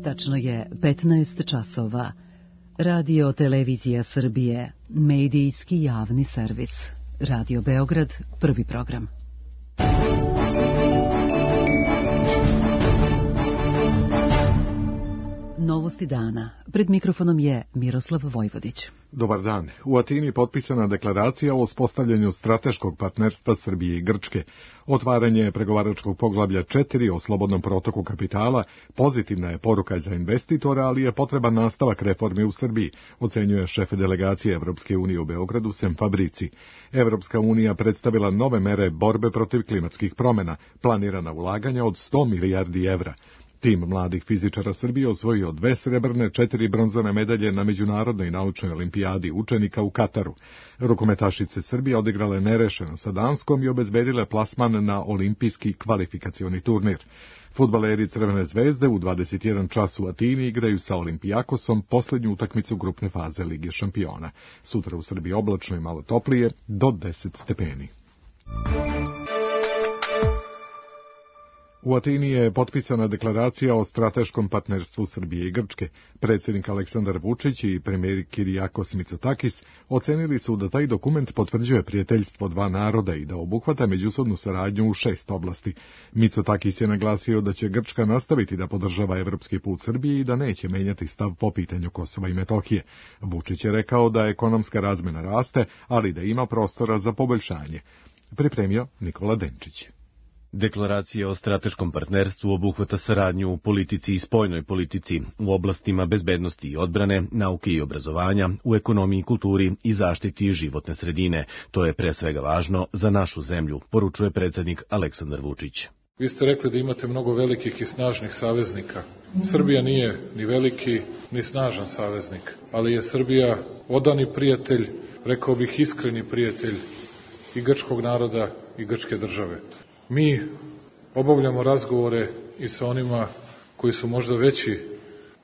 Tačno je 15 časova. Radio Televizija Srbije, medijski javni servis. Radio Beograd, prvi program. Novosti dana. Pred mikrofonom je Miroslav Vojvodić. Dobar dan. U Atini potpisana deklaracija o uspostavljanju strateškog partnerstva Srbije i Grčke. Otvaranje pregovaračkog poglavlja 4 o slobodnom protoku kapitala pozitivna je poruka za investitora, ali je potreban nastavak reforme u Srbiji, ocenjuje šef delegacije Evropske unije u Beogradu Sem Fabrici. Evropska unija predstavila nove mere borbe protiv klimatskih promjena, planirana ulaganja od 100 milijardi evra. Tim mladih fizičara Srbije osvojio 2 srebrne, 4 bronzane medalje na Međunarodnoj naučnoj olimpijadi učenika u Kataru. Rukometašice Srbije odigrale nerešeno sa Danskom i obezbedile plasman na olimpijski kvalifikacioni turnir. Fudbaleri Crvene zvezde u 21 čas u Atini igraju sa Olimpijakosom poslednju utakmicu grupne faze Lige šampiona. Sutra u Srbiji oblačno i malo toplije, do 10 stepeni. U Atini je potpisana deklaracija o strateškom partnerstvu Srbije i Grčke. Predsjednik Aleksandar Vučić i premijer Kirijakos Mitsotakis ocenili su da taj dokument potvrđuje prijateljstvo dva naroda i da obuhvata međusobnu saradnju u 6 oblasti. Mitsotakis je naglasio da će Grčka nastaviti da podržava evropski put Srbije i da neće menjati stav po pitanju Kosova i Metohije. Vučić je rekao da ekonomska razmena raste, ali da ima prostora za poboljšanje. Pripremio Nikola Denčić. Deklaracija o strateškom partnerstvu obuhvata saradnju u politici i spoljnoj politici, u oblastima bezbednosti i odbrane, nauke i obrazovanja, u ekonomiji i kulturi i zaštiti životne sredine. To je pre svega važno za našu zemlju, poručuje predsjednik Aleksandar Vučić. Vi ste rekli da imate mnogo velikih i snažnih saveznika. Srbija nije ni veliki, ni snažan saveznik, ali je Srbija odani prijatelj, rekao bih iskreni prijatelj i grčkog naroda i grčke države. Mi obavljamo razgovore i sa onima koji su možda veći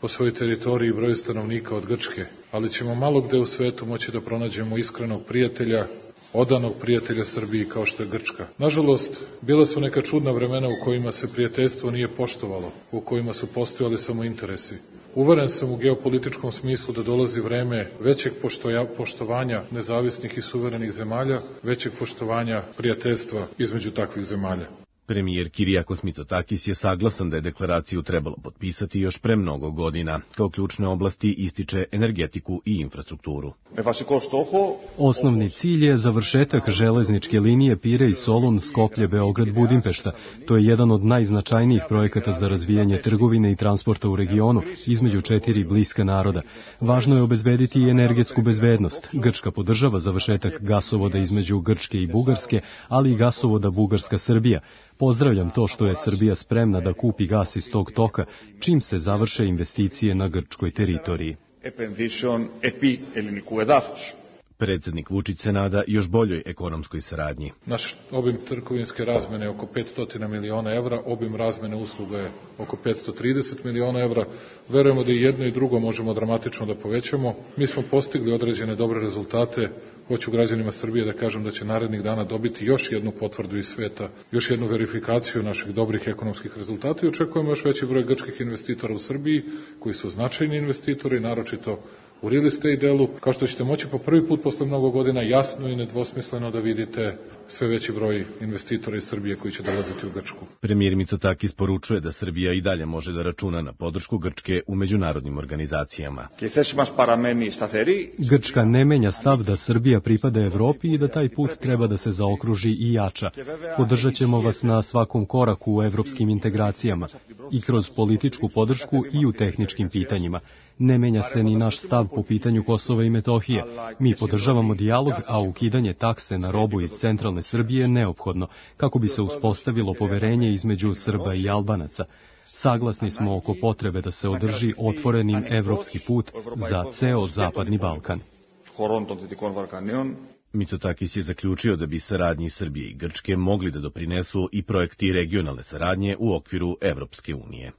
po svojoj teritoriji i broju stanovnika od Grčke, ali ćemo malo gde u svetu moći da pronađemo iskrenog prijatelja, odanog prijatelja Srbiji kao što je Grčka. Nažalost, bila su neka čudna vremena u kojima se prijateljstvo nije poštovalo, u kojima su postojali samo interesi. Uveren sam u geopolitičkom smislu da dolazi vreme većeg poštovanja nezavisnih i suverenih zemalja, većeg poštovanja prijateljstva između takvih zemalja. Premijer Kirijakos Mitsotakis je saglasan da je deklaraciju trebalo potpisati još pre mnogo godina. Kao ključne oblasti ističe energetiku i infrastrukturu. Osnovni cilj je završetak železničke linije Pirej-Solun, Skoplje-Beograd-Budimpešta. To je jedan od najznačajnijih projekata za razvijanje trgovine i transporta u regionu između 4 bliska naroda. Važno je obezbediti i energetsku bezbednost. Grčka podržava završetak gasovoda između Grčke i Bugarske, ali i gasovoda Bugarska-Srbija. Pozdravljam to što je Srbija spremna da kupi gas iz tog toka, čim se završe investicije na grčkoj teritoriji. Predsjednik Vučić se nada još boljoj ekonomskoj saradnji. Naš obim trgovinske razmene je oko 500 miliona evra, obim razmene usluga je oko 530 miliona evra. Verujemo da i jedno i drugo možemo dramatično da povećamo. Mi smo postigli određene dobre rezultate. Hoću građanima Srbije da kažem da će narednih dana dobiti još jednu potvrdu iz sveta, još jednu verifikaciju naših dobrih ekonomskih rezultata i očekujemo još veći broj grčkih investitora u Srbiji, koji su značajni investitori, naročito u real estate delu. Kao što ćete moći po prvi put posle mnogo godina jasno i nedvosmisleno da vidite sve veći broj investitora iz Srbije koji će dolaziti u Grčku. Premijer Mitsotakis poručuje da Srbija i dalje može da računa na podršku Grčke u međunarodnim organizacijama. Grčka ne menja stav da Srbija pripada Evropi i da taj put treba da se zaokruži i jača. Podržat ćemo vas na svakom koraku u evropskim integracijama i kroz političku podršku i u tehničkim pitanjima. Ne menja se ni naš stav po pitanju Kosova i Metohije. Mi podržavamo dijalog, a ukidanje takse na robu iz centralne Srbije je neophodno, kako bi se uspostavilo poverenje između Srba i Albanaca. Saglasni smo oko potrebe da se održi otvorenim evropski put za ceo Zapadni Balkan. Mitsotakis je zaključio da bi saradnji Srbije i Grčke mogli da doprinesu i projekti regionalne saradnje u okviru Evropske unije.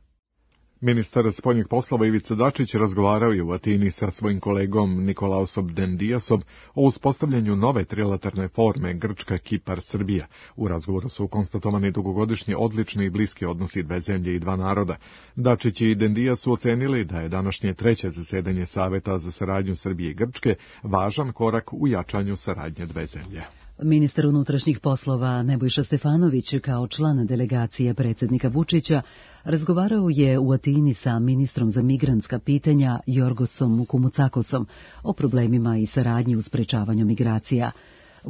Ministar spoljnih poslova Ivica Dačić razgovarao je u Atini sa svojim kolegom Nikolaosom Dendiasom o uspostavljanju nove trilateralne forme Grčka, Kipar, Srbija. U razgovoru su konstatovani dugogodišnji odlični i bliski odnosi dve zemlje i dva naroda. Dačić i Dendias su ocenili da je današnje treće zasedanje Saveta za saradnju Srbije i Grčke važan korak u jačanju saradnje dve zemlje. Ministar unutrašnjih poslova Nebojša Stefanović kao član delegacije predsjednika Vučića razgovarao je u Atini sa ministrom za migrantska pitanja Jorgosom Kumucakosom o problemima i saradnji u sprečavanju migracija.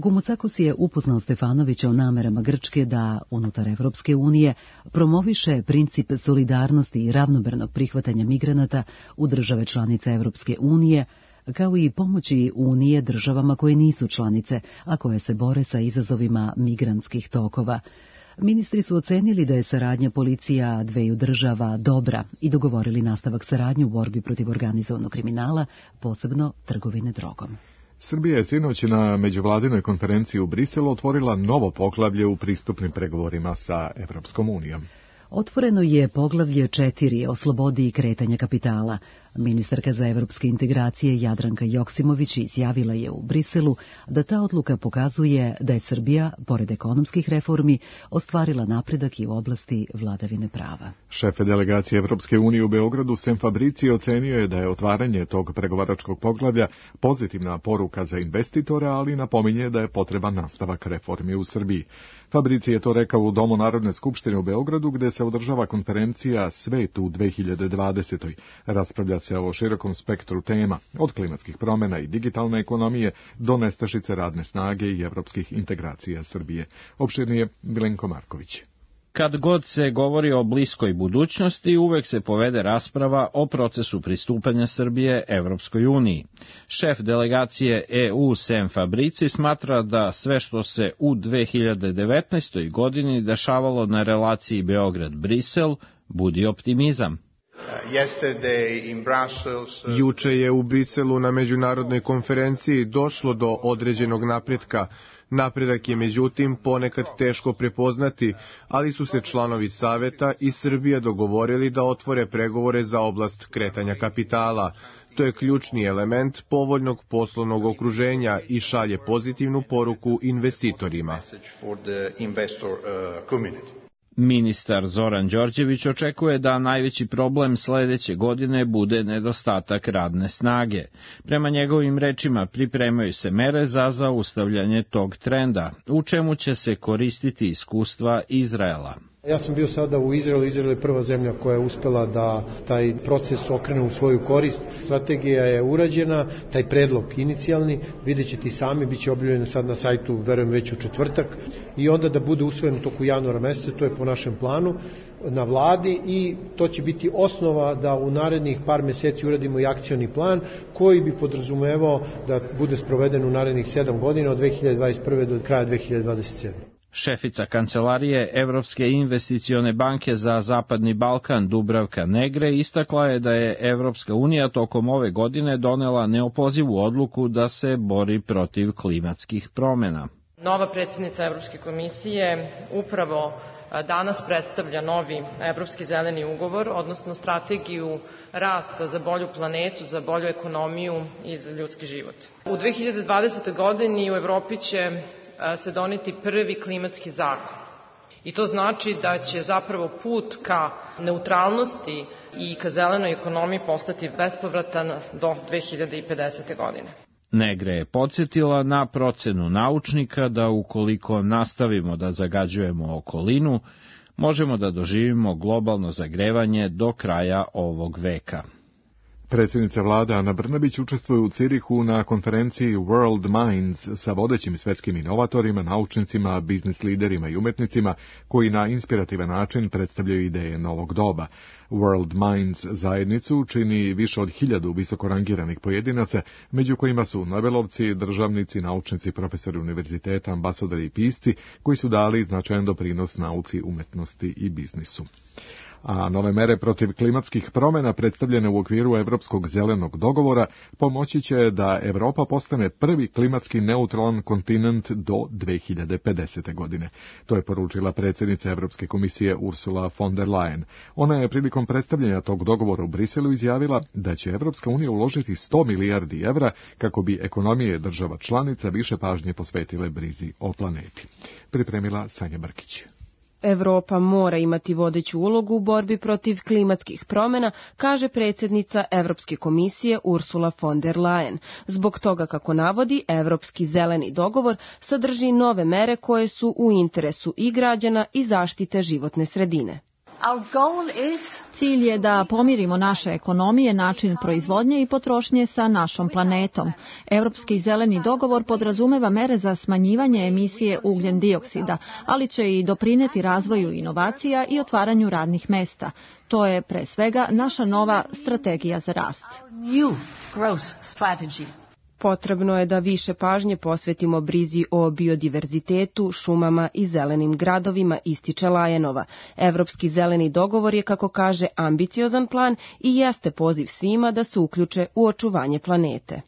Kumucakos je upoznao Stefanovića o namerama Grčke da, unutar Evropske unije, promoviše princip solidarnosti i ravnomernog prihvatanja migranata u države članice Evropske unije, kao i pomoći Unije državama koje nisu članice, a koje se bore sa izazovima migrantskih tokova. Ministri su ocenili da je saradnja policija dveju država dobra i dogovorili nastavak saradnje u borbi protiv organizovanog kriminala, posebno trgovine drogom. Srbija je sinoć na međuvladinoj konferenciji u Briselu otvorila novo poglavlje u pristupnim pregovorima sa Evropskom unijom. Otvoreno je poglavlje 4 o slobodi i kretanja kapitala. Ministarka za evropske integracije Jadranka Joksimović izjavila je u Briselu da ta odluka pokazuje da je Srbija, pored ekonomskih reformi, ostvarila napredak i u oblasti vladavine prava. Šef delegacije Evropske unije u Beogradu Sem Fabrici ocenio je da je otvaranje tog pregovaračkog poglavlja pozitivna poruka za investitore, ali napominje da je potreban nastavak reformi u Srbiji. Fabrici je to rekao u Domu Narodne skupštine u Beogradu, gde se održava konferencija Svet u 2020. Raspravlja se o širokom spektru tema, od klimatskih promjena i digitalne ekonomije do nestašice radne snage i evropskih integracija Srbije. Opširnije Milenko Marković. Kad god se govori o bliskoj budućnosti, uvek se povede rasprava o procesu pristupanja Srbije Evropskoj uniji. Šef delegacije EU Sem Fabrici smatra da sve što se u 2019. godini dešavalo na relaciji Beograd-Brisel budi optimizam. Juče je u Briselu na međunarodnoj konferenciji došlo do određenog napretka. Napredak je međutim ponekad teško prepoznati, ali su se članovi Saveta i Srbija dogovorili da otvore pregovore za oblast kretanja kapitala. To je ključni element povoljnog poslovnog okruženja i šalje pozitivnu poruku investitorima. Ministar Zoran Đorđević očekuje da najveći problem sledeće godine bude nedostatak radne snage. Prema njegovim rečima pripremaju se mere za zaustavljanje tog trenda, u čemu će se koristiti iskustva Izraela. Ja sam bio sada u Izraelu. Izrael je prva zemlja koja je uspela da taj proces okrene u svoju korist. Strategija je urađena, taj predlog inicijalni, vidjet ćete i sami, bit će objavljeno sad na sajtu, verujem već u četvrtak, i onda da bude usvojen u toku januara meseca, to je po našem planu na vladi, i to će biti osnova da u narednih par meseci uradimo i akcioni plan koji bi podrazumevao da bude sproveden u narednih 7 godina od 2021. do kraja 2027. Šefica kancelarije Evropske investicione banke za Zapadni Balkan Dubravka Negre istakla je da je Evropska unija tokom ove godine donela neopozivu odluku da se bori protiv klimatskih promjena. Nova predsjednica Evropske komisije upravo danas predstavlja novi Evropski zeleni ugovor, odnosno strategiju rasta za bolju planetu, za bolju ekonomiju i za ljudski život. U 2020. godini u Evropi će se doneti prvi klimatski zakon. I to znači da će zapravo put ka neutralnosti i ka zelenoj ekonomiji postati bespovratan do 2050. godine. Negre je podsjetila na procenu naučnika da ukoliko nastavimo da zagađujemo okolinu, možemo da doživimo globalno zagrevanje do kraja ovog veka. Predsjednica vlade Ana Brnabić učestvuje u Cirihu na konferenciji World Minds sa vodećim svetskim inovatorima, naučnicima, biznis liderima i umetnicima koji na inspirativan način predstavljaju ideje novog doba. World Minds zajednicu čini više od 1000 visokorangiranih pojedinaca, među kojima su nobelovci, državnici, naučnici, profesori univerziteta, ambasadori i pisci koji su dali značajan doprinos nauci, umetnosti i biznisu. a nove mere protiv klimatskih promjena predstavljene u okviru Evropskog zelenog dogovora pomoći će da Evropa postane prvi klimatski neutralan kontinent do 2050. godine. To je poručila predsjednica Evropske komisije Ursula von der Leyen. Ona je prilikom predstavljanja tog dogovora u Briselu izjavila da će Evropska unija uložiti 100 milijardi evra kako bi ekonomije država članica više pažnje posvetile brizi o planeti. Pripremila Sanja Brkić. Evropa mora imati vodeću ulogu u borbi protiv klimatskih promjena, kaže predsjednica Evropske komisije Ursula von der Leyen. Zbog toga, kako navodi, Evropski zeleni dogovor sadrži nove mere koje su u interesu i građana i zaštite životne sredine. Cilj je da pomirimo naše ekonomije, način proizvodnje i potrošnje sa našom planetom. Europski zeleni dogovor podrazumeva mere za smanjivanje emisije ugljen dioksida, ali će i doprineti razvoju inovacija i otvaranju radnih mesta. To je pre svega naša nova strategija za rast. Potrebno je da više pažnje posvetimo brizi o biodiverzitetu, šumama i zelenim gradovima, ističe Lajenova. Evropski zeleni dogovor je, kako kaže, ambiciozan plan i jeste poziv svima da se uključe u očuvanje planete.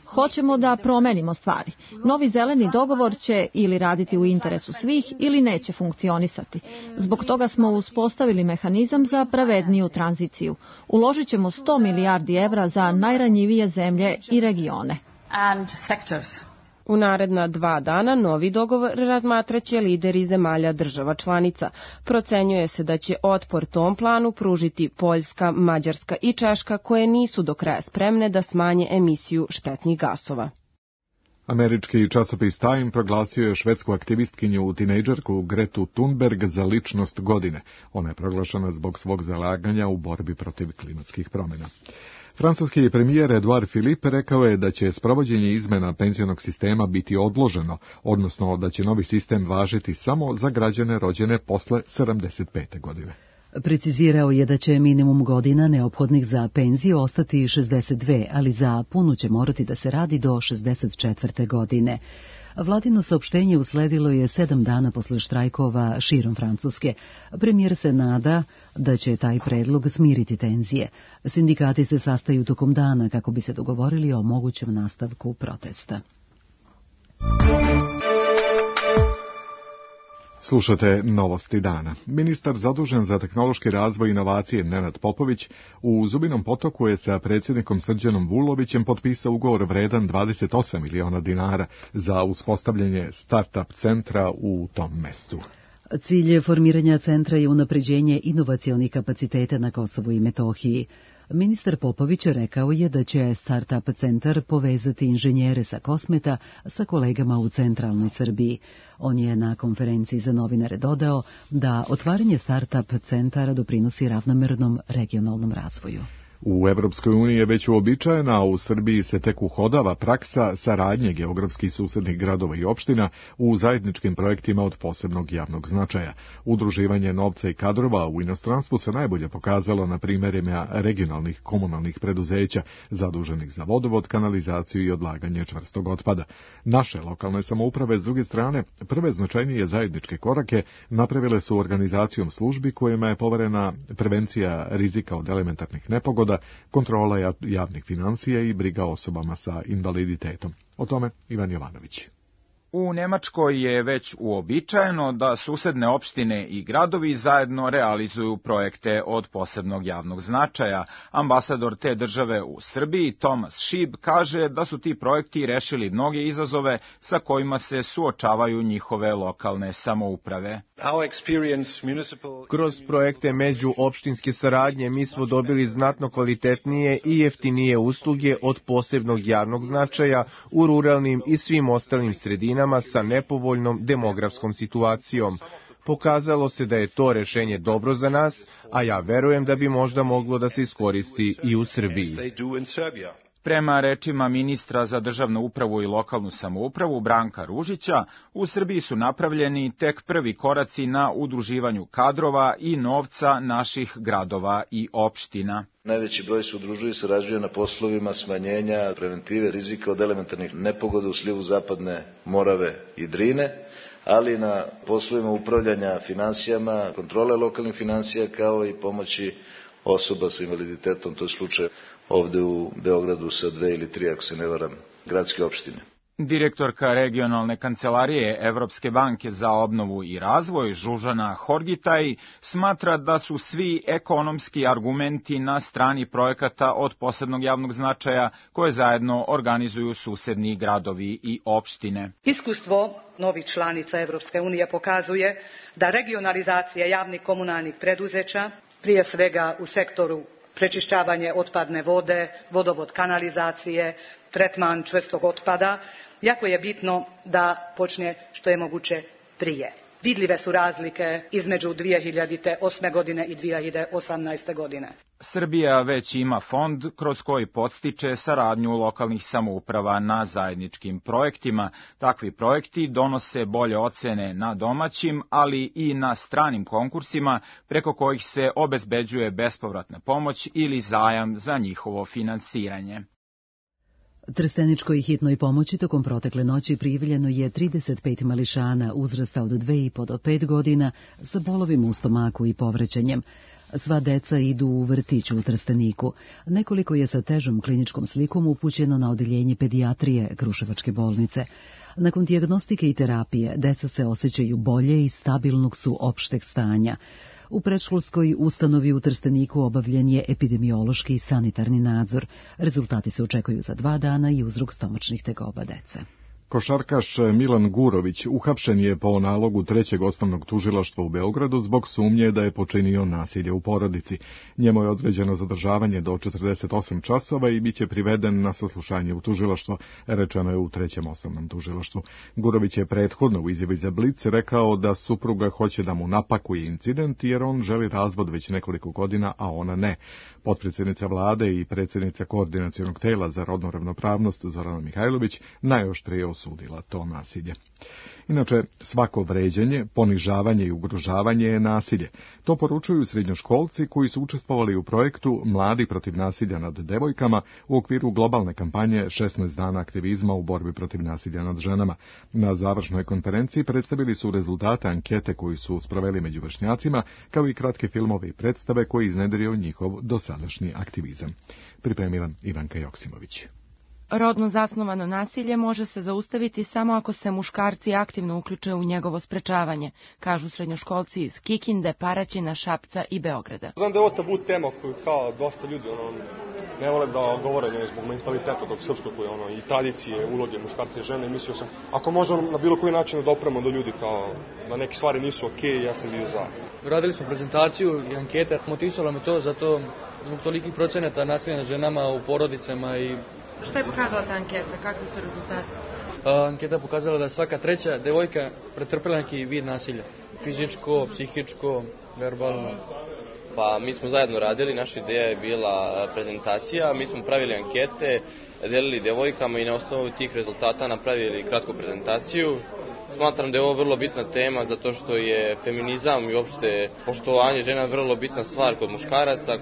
Hoćemo da promenimo stvari. Novi zeleni dogovor će ili raditi u interesu svih ili neće funkcionisati. Zbog toga smo uspostavili mehanizam za pravedniju tranziciju. Uložit ćemo 100 milijardi evra za najranjivije zemlje i regione. U naredna 2 dana novi dogovor razmatraće lideri zemalja država članica. Procenjuje se da će otpor tom planu pružiti Poljska, Mađarska i Češka, koje nisu do kraja spremne da smanje emisiju štetnih gasova. Američki časopis Time proglasio je švedsku aktivistkinju tinejdžerku Gretu Thunberg za ličnost godine. Ona je proglašena zbog svog zalaganja u borbi protiv klimatskih promjena. Francuski premijer Edouard Philippe rekao je da će sprovođenje izmena penzionog sistema biti odloženo, odnosno da će novi sistem važiti samo za građane rođene posle 75. godine. Precizirao je da će minimum godina neophodnih za penziju ostati 62, ali za punu će morati da se radi do 64. godine. Vladino saopštenje usledilo je 7 dana posle štrajkova širom Francuske. Premijer se nada da će taj predlog smiriti tenzije. Sindikati se sastaju tokom dana kako bi se dogovorili o mogućem nastavku protesta. Slušate novosti dana. Ministar zadužen za tehnološki razvoj i inovacije Nenad Popović u Zubinom Potoku je sa predsjednikom Srđanom Vulovićem potpisao ugovor vredan 28 miliona dinara za uspostavljanje start-up centra u tom mestu. Cilj formiranja centra je unapređenje inovacionih kapaciteta na Kosovu i Metohiji. Ministar Popović rekao je da će Start-up centar povezati inženjere sa Kosmeta sa kolegama u centralnoj Srbiji. On je na konferenciji za novinare dodao da otvaranje Start-up centara doprinosi ravnomernom regionalnom razvoju. U Evropskoj uniji je već uobičajena, a u Srbiji se tek uhodava praksa saradnje geografskih susednih gradova i opština u zajedničkim projektima od posebnog javnog značaja. Udruživanje novca i kadrova u inostranstvu se najbolje pokazalo na primjerima regionalnih komunalnih preduzeća zaduženih za vodovod, kanalizaciju i odlaganje čvrstog otpada. Naše lokalne samouprave, s druge strane, prve značajnije zajedničke korake napravile su organizacijom službi kojima je poverena prevencija rizika od elementarnih nepogoda, kontrola javnih financija i briga osobama sa invaliditetom. O tome Ivan Jovanović. U Nemačkoj je već uobičajeno da susedne opštine i gradovi zajedno realizuju projekte od posebnog javnog značaja. Ambasador te države u Srbiji, Tomas Šib, kaže da su ti projekti rešili mnoge izazove sa kojima se suočavaju njihove lokalne samouprave. Kroz projekte međuopštinske saradnje mi smo dobili znatno kvalitetnije i jeftinije usluge od posebnog javnog značaja u ruralnim i svim ostalim sredinama sa nepovoljnom demografskom situacijom. Pokazalo se da je to rešenje dobro za nas, a ja verujem da bi možda moglo da se iskoristi i u Srbiji. Prema rečima ministra za državnu upravu i lokalnu samoupravu Branka Ružića, u Srbiji su napravljeni tek prvi koraci na udruživanju kadrova i novca naših gradova i opština. Najveći broj se udružuje i sarađuje na poslovima smanjenja preventive rizika od elementarnih nepogoda u slivu Zapadne Morave i Drine, ali na poslovima upravljanja finansijama, kontrole lokalnih finansija, kao i pomoći osoba sa invaliditetom, to je slučaj ovde u Beogradu sa 2 ili 3, ako se ne varam, gradske opštine. Direktorka regionalne kancelarije Evropske banke za obnovu i razvoj Žužana Horgitaj smatra da su svi ekonomski argumenti na strani projekata od posebnog javnog značaja koje zajedno organizuju susedni gradovi i opštine. Iskustvo novih članica Evropske unije pokazuje da regionalizacija javnih komunalnih preduzeća, prije svega u sektoru prečišćavanje otpadne vode, vodovod kanalizacije, tretman čvrstog otpada, jako je bitno da počne što je moguće prije. Vidljive su razlike između 2008. godine i 2018. godine. Srbija već ima fond kroz koji podstiče saradnju lokalnih samouprava na zajedničkim projektima. Takvi projekti donose bolje ocene na domaćim, ali i na stranim konkursima preko kojih se obezbeđuje bespovratna pomoć ili zajam za njihovo finansiranje. Trsteničkoj hitnoj pomoći tokom protekle noći prijavljeno je 35 mališana uzrasta od 2,5 do 5 godina sa bolovima u stomaku i povraćanjem. Sva deca idu u vrtić u Trsteniku. Nekoliko je sa težom kliničkom slikom upućeno na odeljenje pedijatrije Kruševačke bolnice. Nakon dijagnostike i terapije, deca se osjećaju bolje i stabilnog su opšteg stanja. U predškolskoj ustanovi u Trsteniku obavljen je epidemiološki i sanitarni nadzor. Rezultati se očekuju za 2 dana i uzrok stomačnih tegoba dece. Košarkaš Milan Gurović uhapšen je po nalogu 3. osnovnog tužilaštva u Beogradu zbog sumnje da je počinio nasilje u porodici. Njemu je određeno zadržavanje do 48 časova i bit će priveden na saslušanje u tužilaštvo, rečeno je u 3. osnovnom tužilaštvu. Gurović je prethodno u izjavi za Blic rekao da supruga hoće da mu napakuje incident jer on želi razvod već nekoliko godina, a ona ne. Potpredsjednica vlade i predsjednica koordinacionog tela za rodnu ravnopravnost Zorana Mihajlović najoštrije osudila to nasilje. Inače, svako vređanje, ponižavanje i ugrožavanje je nasilje. To poručuju srednjoškolci koji su učestvovali u projektu Mladi protiv nasilja nad devojkama u okviru globalne kampanje 16 dana aktivizma u borbi protiv nasilja nad ženama. Na završnoj konferenciji predstavili su rezultate ankete koji su sproveli među vršnjacima, kao i kratke filmove i predstave koji iznedrio njihov dosadašnji aktivizam. Pripremila Ivanka Joksimović. Rodno zasnovano nasilje može se zaustaviti samo ako se muškarci aktivno uključe u njegovo sprečavanje, kažu srednjoškolci iz Kikinde, Paraćina, Šapca i Beograda. Znam da je ovo tabu tema koju kao dosta ljudi ne vole da govore zbog mentaliteta tog srpskog i tradicije, uloge muškarca i žene. Mislio sam, ako možemo na bilo koji način da dopremo do ljudi kao da neke stvari nisu okej, ja sam bio za. Radili smo prezentaciju i ankete, motivisalo me to zato zbog tolikih procenata nasilja nad ženama u porodicama i... Šta je pokazala ta anketa? Kakvi su rezultati? Anketa pokazala da svaka 3. devojka pretrpela neki vid nasilja. Fizičko, psihičko, verbalno. Pa mi smo zajedno radili, naša ideja je bila prezentacija, mi smo pravili ankete, delili devojkama i na osnovu tih rezultata napravili kratku prezentaciju. Smatram da je ovo vrlo bitna tema zato što je feminizam i uopšte poštovanje žena vrlo bitna stvar kod muškaraca,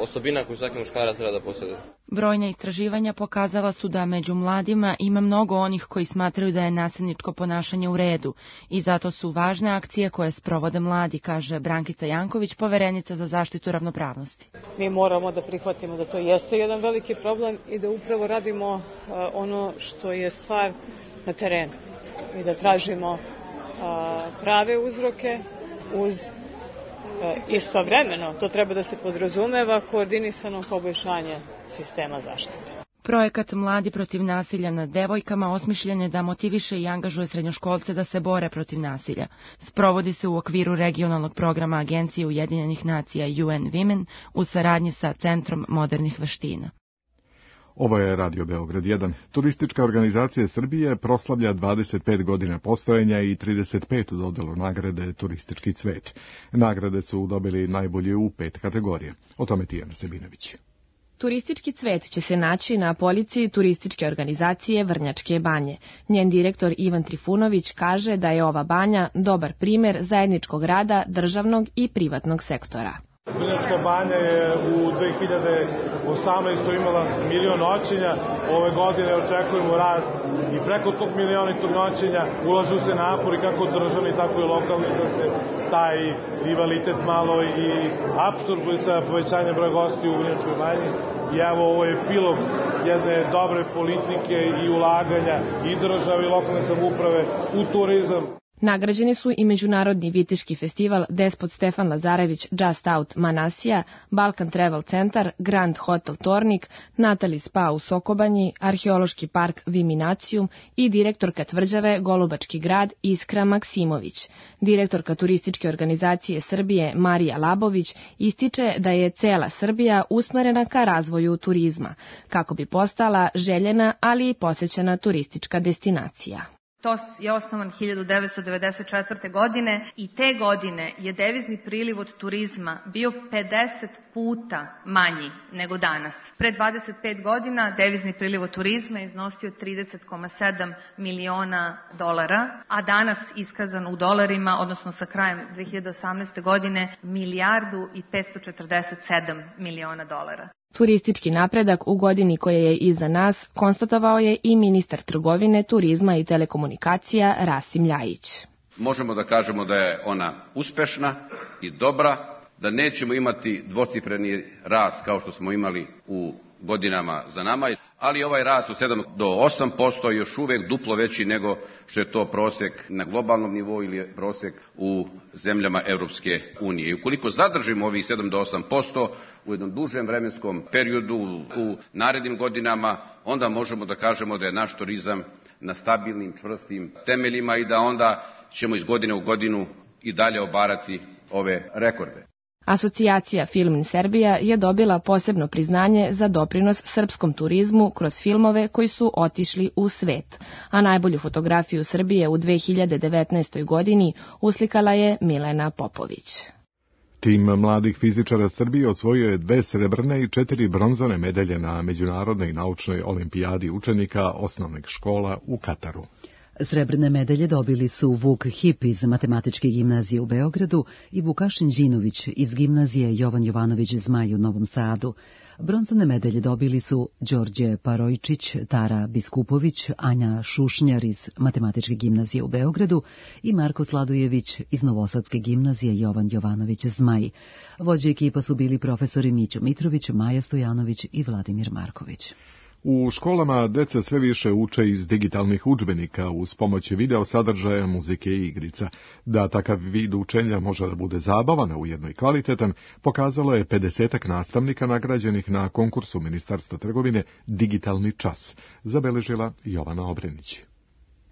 osobina koju svaki muškarac treba da posjeduje. Brojna istraživanja pokazala su da među mladima ima mnogo onih koji smatraju da je nasilničko ponašanje u redu i zato su važne akcije koje sprovode mladi, kaže Brankica Janković, poverenica za zaštitu ravnopravnosti. Mi moramo da prihvatimo da to jeste jedan veliki problem i da upravo radimo ono što je stvar na terenu i da tražimo prave uzroke uz istovremeno, to treba da se podrazumeva, koordinisano poboljšanje sistema zaštite. Projekat Mladi protiv nasilja nad devojkama osmišljen je da motiviše i angažuje srednjoškolce da se bore protiv nasilja. Sprovodi se u okviru regionalnog programa Agencije Ujedinjenih nacija UN Women u saradnji sa Centrom modernih veština. Ovo je Radio Beograd 1. Turistička organizacija Srbije proslavlja 25 godina postojanja i 35. dodelu nagrade Turistički cvet. Nagrade su dobili najbolje u 5 kategorija. O tome Tijana Sebinović. Turistički cvet će se naći na polici turističke organizacije Vrnjačke banje. Njen direktor Ivan Trifunović kaže da je ova banja dobar primer zajedničkog rada državnog i privatnog sektora. Vrnjačka banja je u 2018. imala 1.000.000 noćenja, ove godine očekujemo rast i preko tog 1.000.000 noćenja. Ulažu se napori kako državni, tako i lokalni da se taj rivalitet malo i apsorbuje sa povećanjem broja gostiju u Vrnjačkoj banji. I evo, ovo je epilog jedne dobre politike i ulaganja i države i lokalne samouprave u turizam. Nagrađeni su i Međunarodni viteški festival Despot Stefan Lazarević Just Out Manasija, Balkan Travel Centar, Grand Hotel Tornik, Natali Spa u Sokobanji, Arheološki park Viminacijum i direktorka tvrđave Golubački grad Iskra Maksimović. Direktorka turističke organizacije Srbije Marija Labović ističe da je cela Srbija usmerena ka razvoju turizma, kako bi postala željena, ali i posećena turistička destinacija. TOS je osnovan 1994. godine i te godine je devizni priliv od turizma bio 50 puta manji nego danas. Pre 25 godina devizni priliv od turizma je iznosio 30,7 miliona dolara, a danas iskazan u dolarima, odnosno sa krajem 2018. godine, 1.547 miliona dolara. Turistički napredak u godini koja je iza nas konstatovao je i ministar trgovine, turizma i telekomunikacija Rasim Ljajić. Možemo da kažemo da je ona uspešna i dobra, da nećemo imati dvocifreni rast kao što smo imali u godinama za nama, ali ovaj rast od 7 do 8% je još uvek duplo veći nego što je to prosek na globalnom nivou ili prosek u zemljama Evropske unije. I ukoliko zadržimo ovih 7 do 8% u jednom dužem vremenskom periodu u narednim godinama, onda možemo da kažemo da je naš turizam na stabilnim, čvrstim temeljima i da onda ćemo iz godine u godinu i dalje obarati ove rekorde. Asocijacija Film in Serbia je dobila posebno priznanje za doprinos srpskom turizmu kroz filmove koji su otišli u svet, a najbolju fotografiju Srbije u 2019. godini uslikala je Milena Popović. Tim mladih fizičara Srbije osvojio je 2 srebrne i 4 bronzane medalje na Međunarodnoj naučnoj olimpijadi učenika osnovnih škola u Kataru. Srebrne medalje dobili su Vuk Hip iz Matematičke gimnazije u Beogradu i Vukašin Đinović iz gimnazije Jovan Jovanović Zmaj u Novom Sadu. Bronzane medalje dobili su Đorđe Parojčić, Tara Biskupović, Anja Šušnjar iz Matematičke gimnazije u Beogradu i Marko Sladojević iz Novosadske gimnazije Jovan Jovanović Zmaj. Vođe ekipa su bili profesori Mićo Mitrović, Maja Stojanović i Vladimir Marković. U školama deca sve više uče iz digitalnih udžbenika uz pomoć video sadržaja, muzike i igrica. Da takav vid učenja može da bude zabavan, a ujedno i kvalitetan, pokazalo je 50 nastavnika nagrađenih na konkursu Ministarstva trgovine Digitalni čas, zabeležila Jovana Obrenić.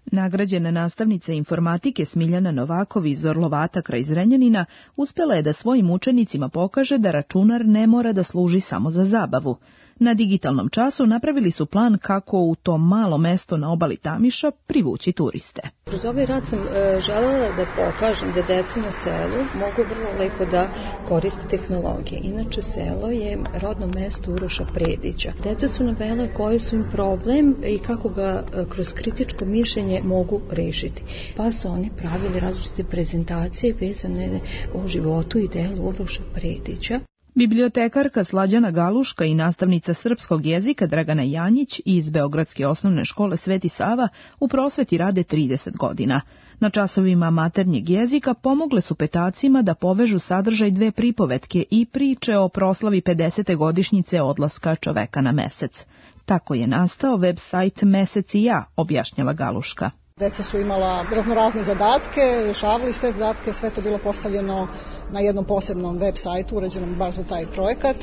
Nagrađena nastavnica informatike Smiljana Novakov iz Orlovata kraj Zrenjanina uspjela je da svojim učenicima pokaže da računar ne mora da služi samo za zabavu. Na digitalnom času napravili su plan kako u to malo mesto na obali Tamiša privući turiste. Kroz ovaj rad sam želela da pokažem da deca na selu mogu vrlo lepo da koriste tehnologije. Inače, selo je rodno mesto Uroša Predića. Deca su navela koji su im problem i kako ga kroz kritičko mišljenje mogu rešiti. Pa su oni pravili različite prezentacije vezane o životu i delu Uroša Predića. Bibliotekarka Slađana Galuška i nastavnica srpskog jezika Dragana Janjić iz Beogradske osnovne škole Sveti Sava u prosveti rade 30 godina. Na časovima maternjeg jezika pomogle su petacima da povežu sadržaj 2 pripovetke i priče o proslavi 50. godišnjice odlaska čoveka na mesec. Tako je nastao web sajt Mesec i ja, objašnjava Galuška. Deca su imala raznorazne zadatke, rešavali te zadatke, sve to bilo postavljeno na jednom posebnom web sajtu, uređenom baš za taj projekat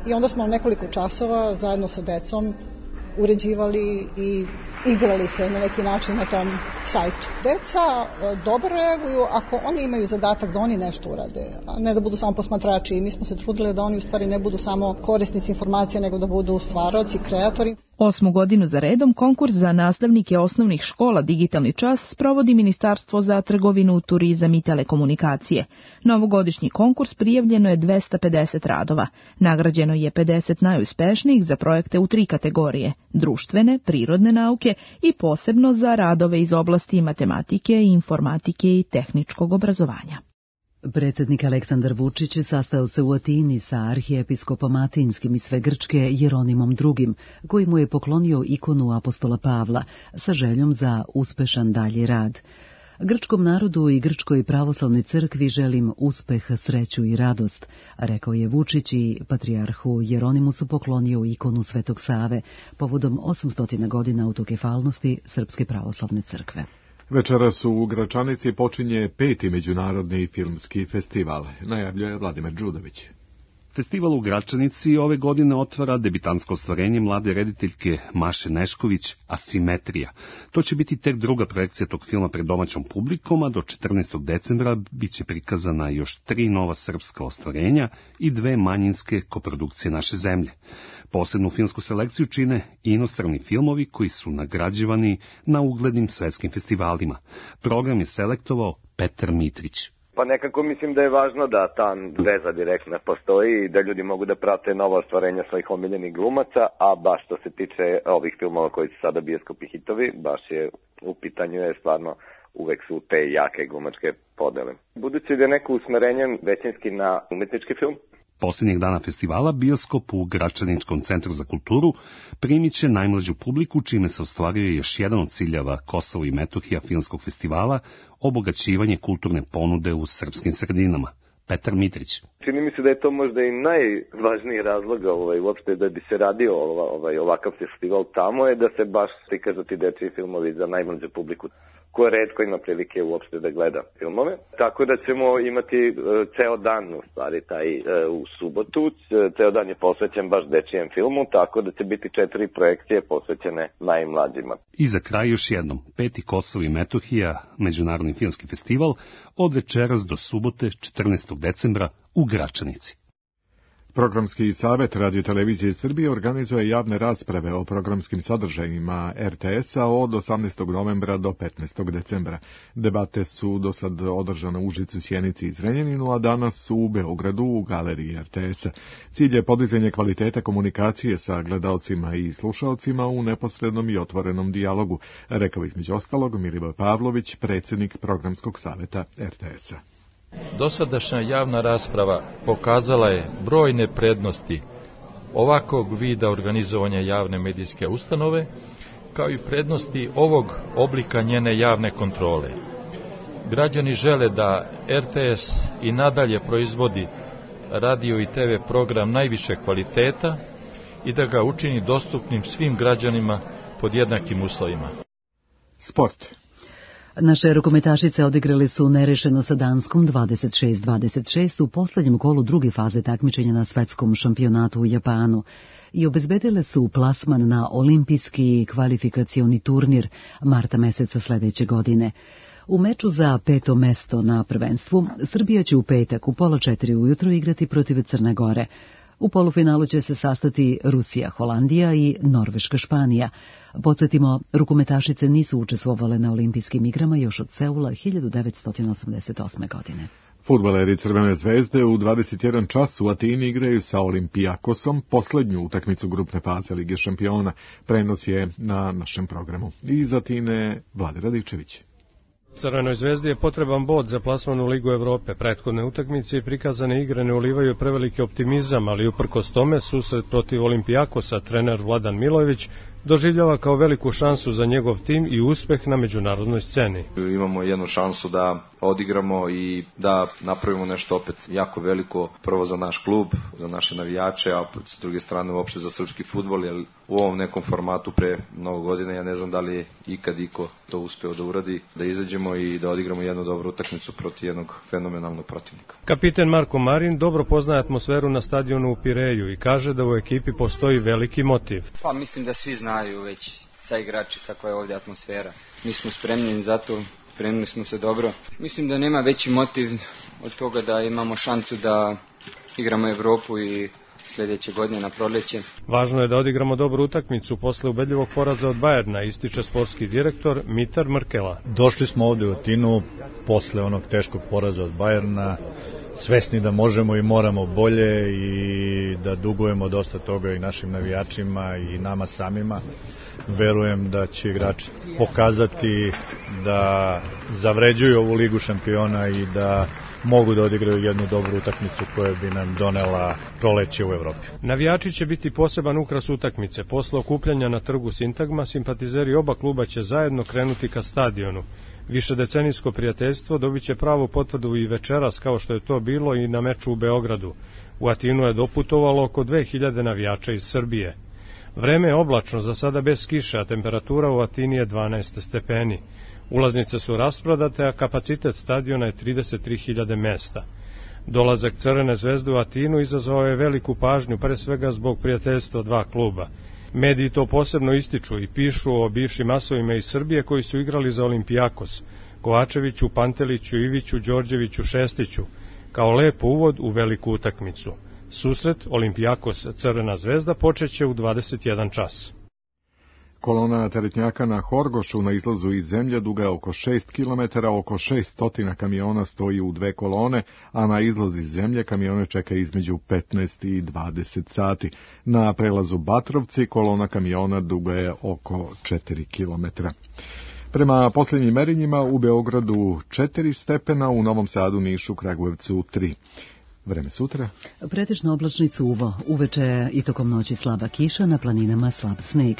i onda smo nekoliko časova zajedno sa decom uređivali i igrali se na neki način na tom sajtu. Deca dobro reaguju ako oni imaju zadatak da oni nešto urade, a ne da budu samo posmatrači. I mi smo se trudili da oni u stvari ne budu samo korisnici informacija, nego da budu stvaraoci, kreatori. 8. godinu za redom konkurs za nastavnike osnovnih škola Digitalni čas sprovodi Ministarstvo za trgovinu, turizam i telekomunikacije. Na ovogodišnji konkurs prijavljeno je 250 radova. Nagrađeno je 50 najuspešnijih za projekte u 3 kategorije: društvene, prirodne nauke i posebno za radove iz oblasti matematike, informatike i tehničkog obrazovanja. Predsjednik Aleksandar Vučić sastao se u Atini sa arhijepiskopom Atinskim i sve Grčke Jeronimom II, koji mu je poklonio ikonu apostola Pavla sa željom za uspešan dalji rad. Grčkom narodu i Grčkoj pravoslavnoj crkvi želim uspeh, sreću i radost, rekao je Vučić i patrijarhu Jeronimu su poklonio ikonu Svetog Save povodom 800 godina autokefalnosti Srpske pravoslavne crkve. Večeras u Gračanici počinje 5. međunarodni filmski festival, najavljuje Vladimir Đudović. Festival u Gračanici ove godine otvara debitansko ostvarenje mlade rediteljke Maše Nešković Asimetrija. To će biti tek druga projekcija tog filma pred domaćom publikom, a do 14. decembra biće prikazana još 3 nova srpska ostvarenja i 2 manjinske koprodukcije naše zemlje. Posebnu filmsku selekciju čine inostrani filmovi koji su nagrađivani na uglednim svetskim festivalima. Program je selektovao Petar Mitrić. Pa nekako mislim da je važno da ta veza direktna postoji i da ljudi mogu da prate nova ostvarenja svojih omiljenih glumaca, a baš što se tiče ovih filmova koji su sada bioskopi hitovi, baš je u pitanju je stvarno uvek su te jake glumačke podele. Budući da je neko usmerenje većinski na umetnički film, Posljednjeg dana festivala bioskop u Gračaničkom centru za kulturu primit će najmlađu publiku, čime se ostvaruje još jedan od ciljeva Kosovo i Metohija filmskog festivala, obogaćivanje kulturne ponude u srpskim sredinama. Petar Mitrić. Čini mi se da je to možda i najvažniji razlog uopšte da bi se radio ovakav festival tamo je da se baš prikažu ti dečiji filmovi za najmlađu publiku koja retko ima prilike uopšte da gleda filmove. Tako da ćemo imati ceo dan, u stvari taj u subotu, ceo dan je posvećen baš dečijem filmu, tako da će biti 4 projekcije posvećene najmlađima. I za kraj još jednom, 5. Kosovo i Metohija, međunarodni filmski festival, od večeras do subote 14. decembra u Gračanici. Programski savet Radio-televizije Srbije organizuje javne rasprave o programskim sadržajima RTS-a od 18. novembra do 15. decembra. Debate su do sad održane u Užicu, Sjenici i Zrenjaninu, a danas su u Beogradu u galeriji RTS-a. Cilj je podizanje kvaliteta komunikacije sa gledaocima i slušaocima u neposrednom i otvorenom dijalogu, rekao između ostalog Milivoj Pavlović, predsjednik programskog saveta RTS-a. Dosadašnja javna rasprava pokazala je brojne prednosti ovakvog vida organizovanja javne medijske ustanove, kao i prednosti ovog oblika njene javne kontrole. Građani žele da RTS i nadalje proizvodi radio i TV program najviše kvaliteta i da ga učini dostupnim svim građanima pod jednakim uslovima. Sport. Naše rukometašice odigrale su nerešeno sa Danskom 26-26 u posljednjem kolu druge faze takmičenja na svetskom šampionatu u Japanu i obezbedile su plasman na olimpijski kvalifikacioni turnir marta meseca sledeće godine. U meču za 5. mesto na prvenstvu Srbija će u petak u 3:30 ujutro igrati protiv Crne Gore. U polufinalu će se sastati Rusija, Holandija i Norveška, Španija. Podsjetimo, rukometašice nisu učestvovale na olimpijskim igrama još od Seula 1988. godine. Fudbaleri Crvene zvezde u 21 čas u Atini igraju sa Olimpijakosom posljednju utakmicu grupne faze Lige šampiona. Prenos je na našem programu. Iz Atine Vlade Radičević. Crvenoj zvezdi je potreban bod za plasman u Ligu Evrope. Prethodne utakmice i prikazane igre ne ulivaju preveliki optimizam, ali uprkos tome susret protiv Olimpijakosa trener Vladan Milojević doživljava kao veliku šansu za njegov tim i uspeh na međunarodnoj sceni. Imamo jednu šansu da odigramo i da napravimo nešto opet jako veliko, prvo za naš klub, za naše navijače, a s druge strane uopšte za srpski fudbal, jer u ovom nekom formatu pre mnogo godina ja ne znam da li je ikad iko to uspeo da uradi, da izađemo i da odigramo jednu dobru utakmicu protiv jednog fenomenalnog protivnika. Kapiten Marko Marin dobro poznaje atmosferu na stadionu u Pireju i kaže da u ekipi postoji veliki motiv. Pa mislim da svi znaju već sa igrači kakva je ovdje atmosfera. Mi smo spremni za to, spremili smo se dobro. Mislim da nema veći motiv od toga da imamo šansu da igramo Evropu i sljedeće godine na proljeće. Važno je da odigramo dobru utakmicu posle ubedljivog poraza od Bajerna, ističe sportski direktor Mitar Mrkela. Došli smo ovdje u Atinu posle onog teškog poraza od Bajerna. svesni da možemo i moramo bolje i da dugujemo dosta toga i našim navijačima i nama samima. Verujem da će igrači pokazati da zavređuju ovu ligu šampiona i da mogu da odigraju jednu dobru utakmicu koja bi nam donela proleće u Evropi. Navijači će biti poseban ukras utakmice. Posle okupljanja na trgu Sintagma, simpatizeri oba kluba će zajedno krenuti ka stadionu. Višedecenijsko prijateljstvo dobit će pravu potvrdu i večeras, kao što je to bilo i na meču u Beogradu. U Atinu je doputovalo oko 2000 navijača iz Srbije. Vreme je oblačno, za sada bez kiše, a temperatura u Atini je 12 stepeni. Ulaznice su rasprodate, a kapacitet stadiona je 33.000 mesta. Dolazak Crvene zvezde u Atinu izazvao je veliku pažnju, pre svega zbog prijateljstva dva kluba. Mediji to posebno ističu i pišu o bivšim asovima iz Srbije koji su igrali za Olimpijakos, Kovačeviću, Panteliću, Iviću, Đorđeviću, Šestiću, kao lep uvod u veliku utakmicu. Susret Olimpijakos Crvena zvezda počeće u 21 čas. Kolona teretnjaka na Horgošu na izlazu iz zemlje duga oko 6 km, oko 600 kamiona stoji u dve kolone, a na izlazi iz zemlje kamione čeka između 15 i 20 sati. Na prelazu Batrovci kolona kamiona duga je oko 4 km. Prema posljednjim merenjima u Beogradu 4 stepena, u Novom Sadu, Nišu, Kragujevcu 3. Vreme sutra. Pretežno oblačni cuvo, uveče i tokom noći slaba kiša, na planinama slab sneg.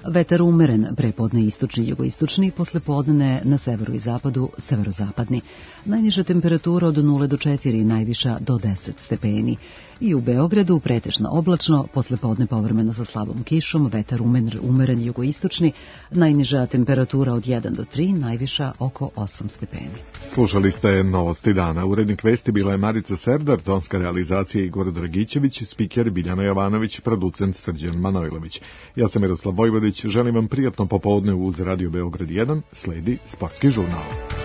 Vetar umeren, prepodne istočni, jugoistočni, poslepodne na severu i zapadu, severozapadni. Najniža temperatura od 0 do 4, najviša do 10 stepeni. I u Beogradu pretežno oblačno, poslepodne povremeno sa slabom kišom, vetar umeren, jugoistočni, najniža temperatura od 1 do 3, najviša oko 8 stepeni. Slušali ste Novosti dana. Urednik vesti bila je Marica Serdar, tonska realizacija Igor Dragićević, spiker Biljana Jovanović, producent Srđan Manojlović. Ja sam Miroslav Vojvodić, želim vam prijatno popodne uz Radio Beograd 1, sledi Sportski žurnal.